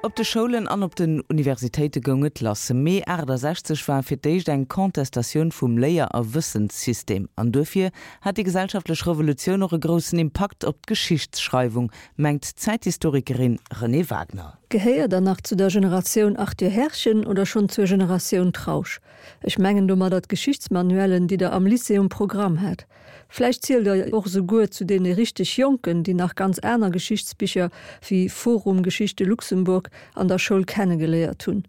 Op de Schoulen an op den Universitéite goung et lass. Mee 68 war fir d'éischt eng Contestatioun vum Léier a Wëssenssystem. An duerfir hat déi gesellschaftlech Revolutioun och e groussen Impakt op d'Geschichtsschreiwung, mengt d'Zäithistorikerin Renée Wagner. Gehéiert der nach zu der Generatioun Arthur Herrchen oder schonn zur Generatioun Trausch? Ech mengen domadder d'Geschichtsmanuellen, déi der am Lycée um Programm hat. Vläicht zielt der och esouguer zu deene richteg Jonken, déi nach ganz aner Geschichtsbicher wéi Forum Geschichte Luxemburg an der Schoul kennegeléiert hunn.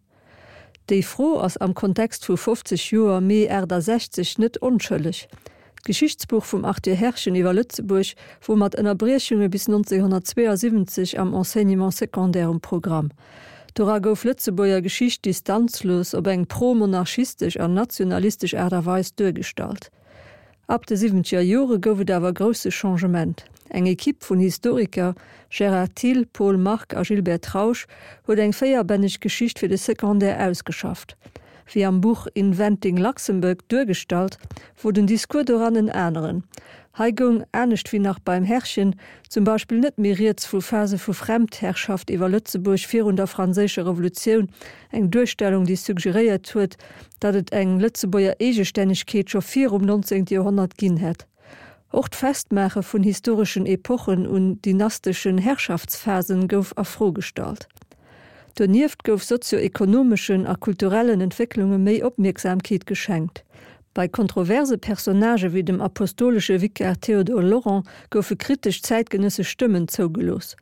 Déi Fro ass am Kontext vu 50 Joer Mee 68 net onschëlleg. D'Geschichtsbuch vum Arthur Herrchen iwwer Lëtzebuerg wor mat Ënnerbriechunge bis 1972 am Enseignement secondaire um Programm. Dora gouf Lëtzebuerger Geschicht distanzlos op eng pro-monarchistesch an nationalistesch Aart a Weis duergestallt. Ab de siwwenzeger Jore gouf et awer grousse Changement. Eng Equipe vun Historiker, Gérard Thill, Paul Margue a Gilbert Trausch, huet eng véierbänneg Geschicht fir de Secondaire ausgeschafft. Wéi am Buch Inventing Luxembourg duergestallt, wor den Discours doran en aneren. Hei goung, anescht wéi nach beim Herrchen, zum Beispill net méi rieds vu Phase vu Fremdherrschaft iwwer Lëtzebuerg virun der Franséischer Revolutioun, eng Duerstellung, déi suggeréiert huet, datt et eng Lëtzebuerger Eegestännegkeet scho virum 19. Joerhonnert ginn hätt. Och d'Festmaache vun historeschen Epochen un dynasteschen Herrschaftsphasen gouf a Fro gestallt. Donieft gouf sozio-ekonomeschen a kulturellen Entwécklunge méi Opmierksamkeet geschenkt. Bei kontroverse Personnagë wéi dem apostolesche Vikar Théodore Laurent goufe kritesch zäitgenëssesch Stëmmen zougelooss.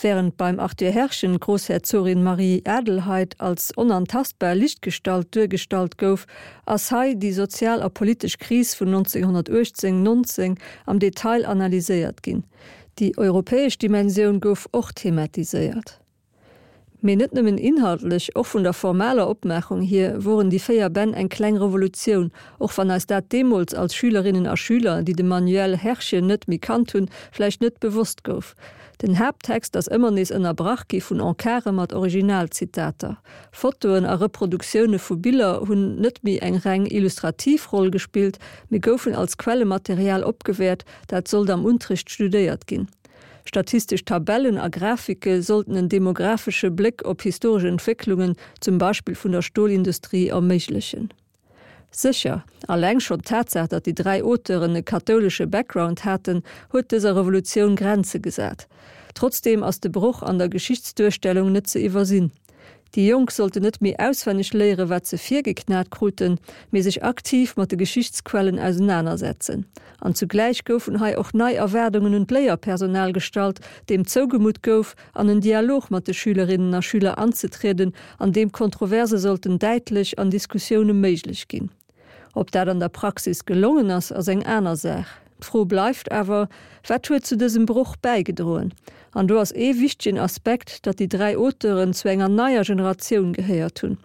Wärend beim Arthur Herrchen d'Groussherzogin Marie-Adelheid als onantastbar Lichtgestalt duergestallt gouf, ass hei déi sozial a politesch Kris vun 1918, 19 am Detail analyséiert ginn. Déi europäesch Dimensioun gouf och thematiséiert. Mee net nëmmen inhaltlech, och vun der formaler Opmaachung hier woren déi 4 Bänn eng kleng Revolutioun, och wann eis dat deemools als Schülerinnen a Schüler, déi de Manuel Herrchen net méi kannt hunn, vläicht net bewosst gouf. Den Haapttext ass ëmmer nees ënnerbrach gi vun Encarte mat Originalzitater. Fotoen a Reproduktioune vu Biller hunn net méi eng reng illustrativ Roll gespillt, mee goufen als Quellematerial opgewäert, dat sollt am Unterricht studéiert ginn. Statistesch Tabellen a Grafike sollten en demographesche Bléck op historesch Entwécklungen, zum Beispill vun der Stolindustrie, erméiglechen. Sécher, alleng schonn d'Tatsaach, datt déi 3 Auteuren e kathoulesche Background haten, huet dëser Revolutioun Grenze gesat. Trotzdeem ass de Broch an der Geschichtsduerstellung net ze iwwersinn. Déi Jonk sollten net méi auswenneg léieren, wat se virgeknat kruten, mee sech aktiv mat de Geschichtsquellen ausenanersetzen. An zugläich goufen hei och nei Erwaardungen un d'Léierpersonal gestallt, deem zougemutt gouf, an en Dialog mat de Schülerinnen a Schüler anzetrieden, an deem Kontroverse sollten däitlech an Diskussioune méiglech ginn. Ob dat an der Praxis gelongen ass, ass eng aner Saach. D'Fro bleift awer, Wat huet zu dësem Broch bäigedroen? An do ass ee wichtegen Aspekt, datt déi 3 Auteuren zu enger neier Generatioun gehéiert hunn.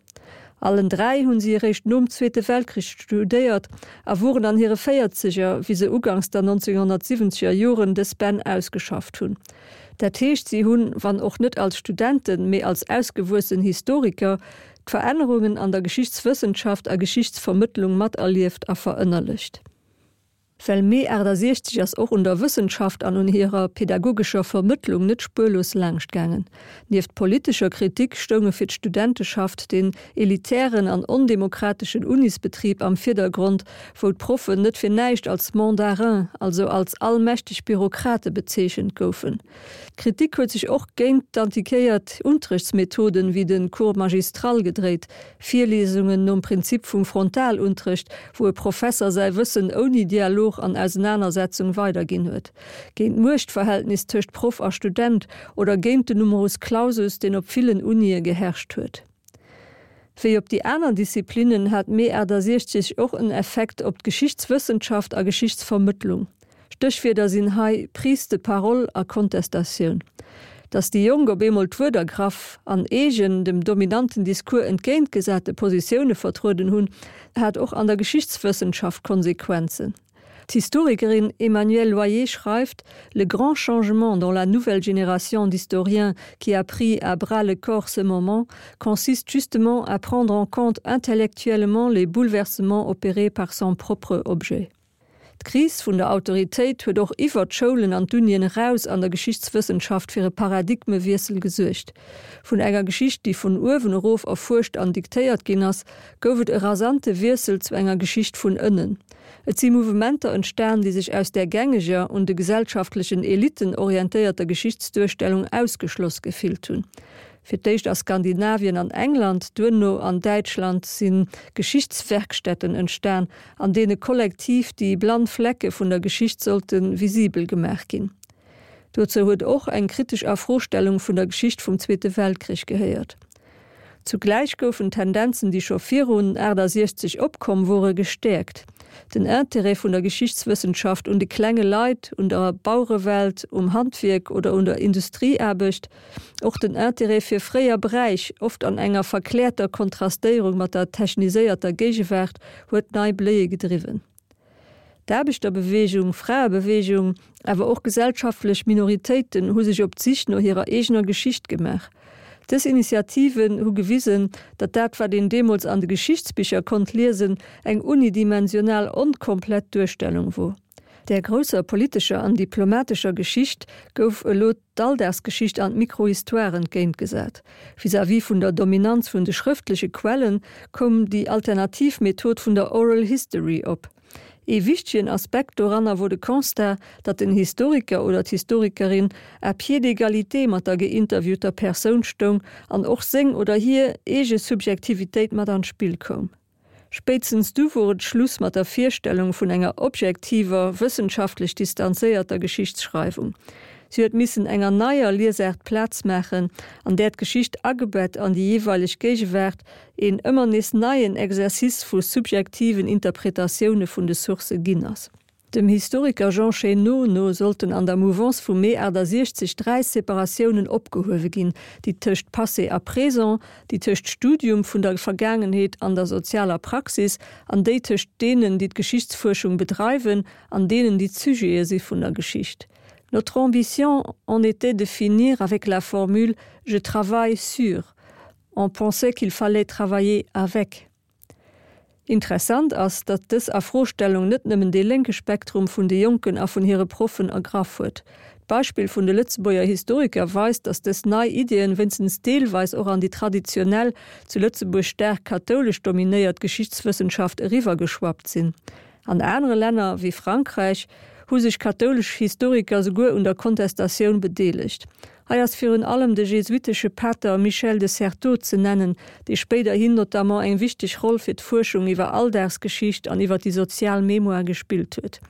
Allen 3 hunn si eréischt nom Zweete Weltkrich studéiert a woren an hire Véierzeger, wéi se uganks der 1970er Joren dës Bänn ausgeschafft hunn. Dat heescht, si hunn, wann och net als Studenten, mee als ausgewuessen Historiker, d'Verännerungen an der Geschichtswëssenschaft a Geschichtsvermëttlung materlieft a verënnerlecht. Well Mee 68 ass och un der Wëssenschaft an un hirer pedagogescher Vermëttlung net spuerlos laangscht gaangen. Nieft politescher Kritik stounge fir d'Studenteschaft den elitären an ondemokrateschen Unisbetrib am Virdergrond, wou d'Proffen net fir näischt als Mandarins, also als allmächteg Bürokrate bezeechent goufen. D'Kritik huet sech och géint d'antiquéiert Unterrichtsmethoden, wéi de Cours magistral gedréit, Virliesungen nom Prinzip vum Frontalunterricht, wou e Professer säi Wëssen ouni Dialog an Ausenanersetzung weiderginn huet, géint d'Muechtverhältnis tëscht Proff a Student oder géint den Numerus clausus, deen op villen Unie geherrscht huet. Wéi op déi aner Disziplinnen hat Mee 68 och en Effekt op d'Geschichtswëssenschaft a Geschichtsvermëttlung. Stéchwierder sinn hei Prise de parole a Kontestatioun. Datt déi Jonk op eemol d'Wuert ergraff an eegen, dem dominanten Discours entgéintgesate Positioune vertrueden hunn, hat och an der Geschichtswëssenschaft Konsequenzen. D'Historikerin Emmanuelle Loyer schreift: Le grand changement dans la nouvelle génération d'historiens qui a pris à bras le corps ce moment consiste justement à prendre en compte intellectuellement les bouleversements opérés par son propre objet. D'Kris vun der Autoritéit huet och iwwer d'Schoulen an d'Unien eraus an der Geschichtswëssenschaft fir e Paradigmewiessel gesuergt. Vun enger Geschicht, déi vun uewen erof erfuerscht an diktéiert ginn ass, gouf et e rasante Wiessel zu enger Geschicht vun ënnen. Et si Mouvementer entstan, déi sech aus där gängeger, un de gesellschaftlechen Elitten orientéierter Geschichtsduerstellung ausgeschloss gefillt hunn. Fir d'éischt a Skandinavien an England, duerno an Däitschland si Geschichtswerkstätten entstan, an deene kollektiv déi blann Flecke vun der Geschicht sollte visibel gemaach ginn. Dozou huet och eng kritesch Afrostellung vun der Geschicht vum Zweete Weltkrich gehéiert. Zugläich goufen Tendenzen, déi scho virun 68 opkomm wore, gestäerkt. Den Intérêt vun der Geschichtswëssenschaft un de klenge Leit, un der Bauerewelt, um Handwierk oder un der Industrieaarbecht, och den Intérêt fir fréier Bräich, oft an enger verkläerter Kontrastéierung mat der techniséierter Géigewaart, huet nei Bléie gedriwwen. D'Aarbechterbeweegung, Fraebeweegung, awer och gesellschaftlech Minoritéiten hu sech op d'Sich no hirer eegener Geschicht gemaach. Dës Initiativen hu gewisen, datt dat, wat een deemools an de Geschichtsbicher konnt liesen, eng unidimensional, onkomplett Duerstellung wor. Där grousser politescher an diplomatescher Geschicht gouf elo d'Alldagsgeschicht an d'Microhistoire entgéintgesat. Vis-à-vis vun der Dominanz vun de schrëftleche Quellen koum déi alternativ Method vun der Oral History op. Ee wichtegen Aspekt doranner wor de Constat, datt den Historiker oder d'Historikerin à pied d'égalité mat der geinterviewter Persoun stoung an och seng oder hir eege Subjektivitéit mat an d'Spill koum. Spéitstens du wor et Schluss mat der Virstellung vun enger objektiver, wëssenschaftlech distanzéierter Geschichtsschreiwung. Si huet missen enger neier Liesaart Plaz maachen, an där d'Geschicht agebett an déi jeeweileg Géigewaart een ëmmer nees neien Exercice vu subjektiven Interpretatioune vun de Sourcë ginn ass. Dem Historiker Jean Chénaud no sollten an der Mouvance vum Mee 68 dräi Separatiounen opgehuewe ginn, déi tëscht Passé a Présent, déi tëscht Studium vun der Vergaangenheet an der sozialer Praxis an déi tëscht deenen, déi d'Geschichtsfuerschung bedreiwen an deenen, déi d'Sujete si vun der Geschicht. Notre ambition en était de finir avec la formule je travaille sur. On pensait qu'il fallait travailler avec. Interessant ass, datt dës Afrostellung net nëmmen dee lénke Spektrum vun de Jonken a vun hire Proffen ergraff huet. D'Beispill vun de Lëtzebuerger Historiker weist, datt dës nei Iddien wéinstens deelweis och an déi traditionell, zu Lëtzebuerg staark kathoulesch dominéiert Geschichtswëssenschaft eriwwergeschwappt sinn. An anere Länner, wéi Frankräich, hu sech kathoulesch Historiker souguer un der Kontestatioun bedeelegt. Hei ass virun allem de jesuitesche Pater Michel de Certeau ze nennen, dee spéiderhin notamment eng wichteg Roll fir d'Fuerschung iwwer Alldagsgeschicht an iwwer déi sozial Mémoire gespillt huet.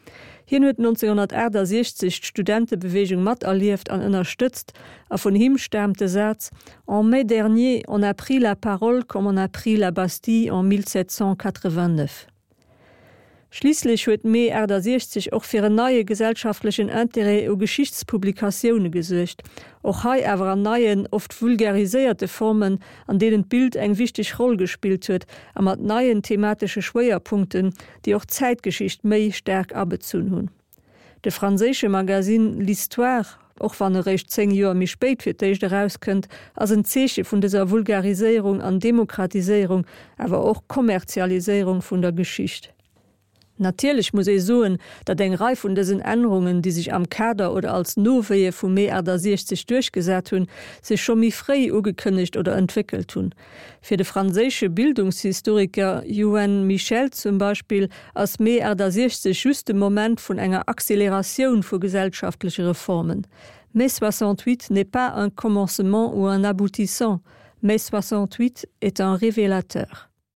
Hien huet 1968 d'Studentebeweegung materlieft an ënnerstëtzt a vun him staamt de Saz, En mai dernier, on a pris la parole comme on a pris la Bastille en 1789. Schliisslech huet Mee 68 och fir en neie gesellschaftlechen Interêt u Geschichtspublikatioune gesuergt, och hei awer an neien, oft vulgariséierte Formen, an deenen d'Bild eng wichteg Roll gespillt huet a mat neien thematesche Schwéierpunkten, déi och d'Zäitgeschicht méi staark abezunn hunn. De franséische Magasinn L'Histoire, och wann e réischt 10 Joer méi spéit fir d'éischt erauskënnt, ass en Zeeche vun dëser Vulgariséierung an Demokratiséierung, awer och Kommerzialiséierung vun der Geschicht. Natierlech muss ee soen, datt eng Rei vun dësen Ännerungen, déi sech am Kader oder als Nowéie vum Mee 68 duerchgesat hunn, sech scho méi fréi ugekënnegt oder entwéckelt hunn. Fir de franséische Bildungshistoriker Youenn Michel zum Beispill ass Mee 68 just de Moment vun enger Acceleratioun vu gesellschaftleche Reformen. Mai 68 n'est pas un commencement ou un aboutissant, mai 68 est un révélateur.